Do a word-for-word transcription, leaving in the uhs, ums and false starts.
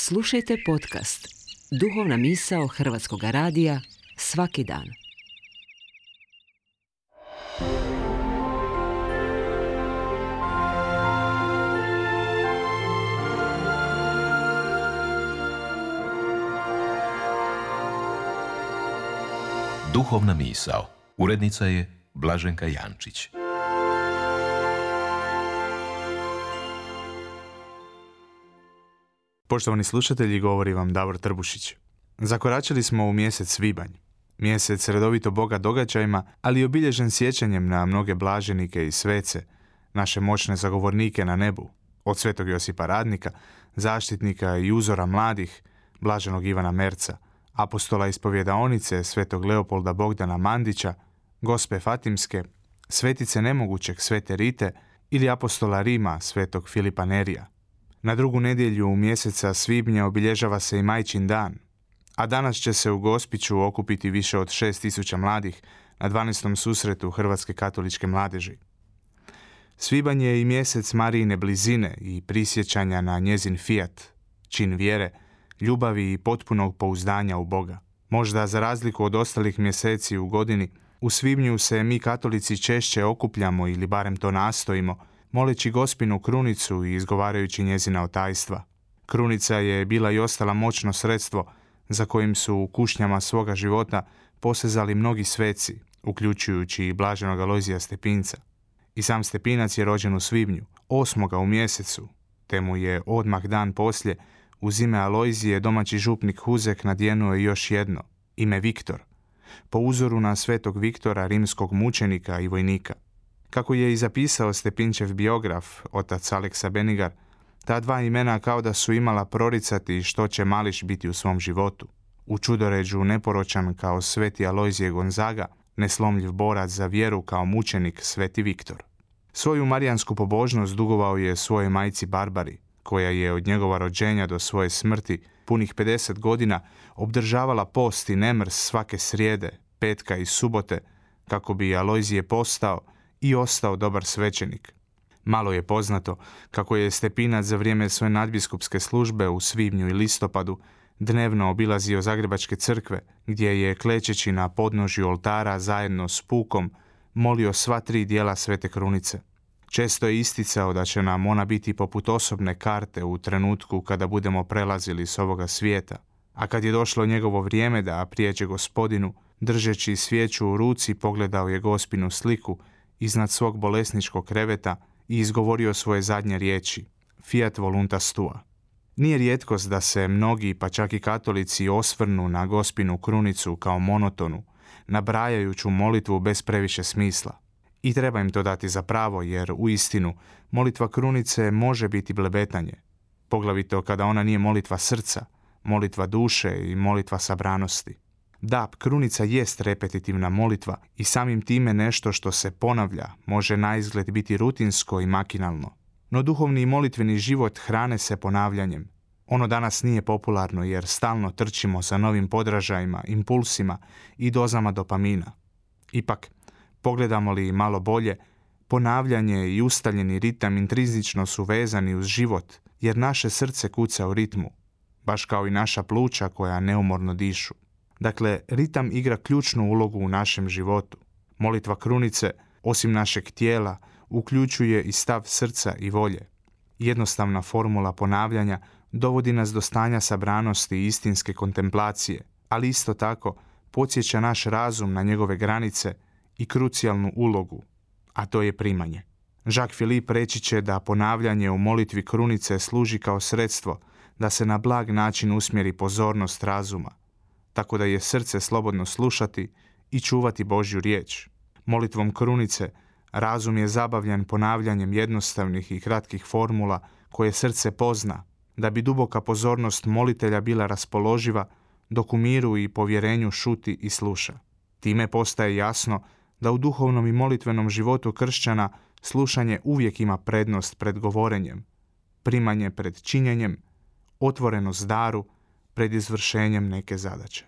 Slušajte podcast Duhovna misao Hrvatskog radija svaki dan. Duhovna misao. Urednica je Blaženka Jančić. Poštovani slušatelji, govori vam Davor Trbušić. Zakoračili smo u mjesec svibanj. Mjesec redovito bogat događajima, ali obilježen sjećanjem na mnoge blaženike i svece, naše moćne zagovornike na nebu, od svetog Josipa Radnika, zaštitnika i uzora mladih, blaženog Ivana Merca, apostola ispovjedaonice svetog Leopolda Bogdana Mandića, Gospe Fatimske, svetice nemogućeg svete Rite ili apostola Rima svetog Filipa Nerija. Na drugu nedjelju mjeseca svibnja obilježava se i Majčin dan, a danas će se u Gospiću okupiti više od šest tisuća mladih na dvanaestom susretu Hrvatske katoličke mladeži. Svibanj je i mjesec Marijine blizine i prisjećanja na njezin fijat, čin vjere, ljubavi i potpunog pouzdanja u Boga. Možda za razliku od ostalih mjeseci u godini, u svibnju se mi katolici češće okupljamo ili barem to nastojimo, moleći Gospinu krunicu i izgovarajući njezina otajstva. Krunica je bila i ostala moćno sredstvo za kojim su u kušnjama svoga života posezali mnogi sveci, uključujući i blaženog Alojzija Stepinca. I sam Stepinac je rođen u svibnju, osmoga u mjesecu, te mu je odmah dan poslije uz ime Alojzije domaći župnik Huzek nadjenuo još jedno, ime Viktor, po uzoru na svetog Viktora, rimskog mučenika i vojnika. Kako je i zapisao Stepinčev biograf, otac Aleksa Benigar, ta dva imena kao da su imala proricati što će mališ biti u svom životu. U čudoređu neporočan kao sveti Alojzije Gonzaga, neslomljiv borac za vjeru kao mučenik sveti Viktor. Svoju marijansku pobožnost dugovao je svojoj majci Barbari, koja je od njegova rođenja do svoje smrti punih pedeset godina obdržavala post i nemrs svake srijede, petka i subote, kako bi Alojzije postao i ostao dobar svećenik. Malo je poznato kako je Stepinac za vrijeme svoje nadbiskupske službe u svibnju i listopadu dnevno obilazio zagrebačke crkve, gdje je klečeći na podnožju oltara zajedno s pukom molio sva tri dijela svete krunice. Često je isticao da će nam ona biti poput osobne karte u trenutku kada budemo prelazili s ovoga svijeta, a kad je došlo njegovo vrijeme da prijeđe Gospodinu, držeći svijeću u ruci pogledao je Gospinu sliku iznad svog bolesničkog kreveta i izgovorio svoje zadnje riječi, fiat voluntas tua. Nije rijetkost da se mnogi, pa čak i katolici, osvrnu na Gospinu krunicu kao monotonu, nabrajajuću molitvu bez previše smisla. I treba im to dati za pravo, jer u istinu molitva krunice može biti blebetanje, poglavito kada ona nije molitva srca, molitva duše i molitva sabranosti. Da, krunica jest repetitivna molitva i samim time nešto što se ponavlja može naizgled biti rutinsko i makinalno. No duhovni i molitveni život hrane se ponavljanjem. Ono danas nije popularno jer stalno trčimo za novim podražajima, impulsima i dozama dopamina. Ipak, pogledamo li malo bolje, ponavljanje i ustaljeni ritam intrinzično su vezani uz život, jer naše srce kuca u ritmu, baš kao i naša pluća koja neumorno dišu. Dakle, ritam igra ključnu ulogu u našem životu. Molitva krunice, osim našeg tijela, uključuje i stav srca i volje. Jednostavna formula ponavljanja dovodi nas do stanja sabranosti i istinske kontemplacije, ali isto tako podsjeća naš razum na njegove granice i krucijalnu ulogu, a to je primanje. Jacques Philippe reći će da ponavljanje u molitvi krunice služi kao sredstvo da se na blag način usmjeri pozornost razuma, tako da je srce slobodno slušati i čuvati Božju riječ. Molitvom krunice razum je zabavljan ponavljanjem jednostavnih i kratkih formula koje srce pozna, da bi duboka pozornost molitelja bila raspoloživa, dok u miru i povjerenju šuti i sluša. Time postaje jasno da u duhovnom i molitvenom životu kršćana slušanje uvijek ima prednost pred govorenjem, primanje pred činjenjem, otvorenost daru pred izvršenjem neke zadaće.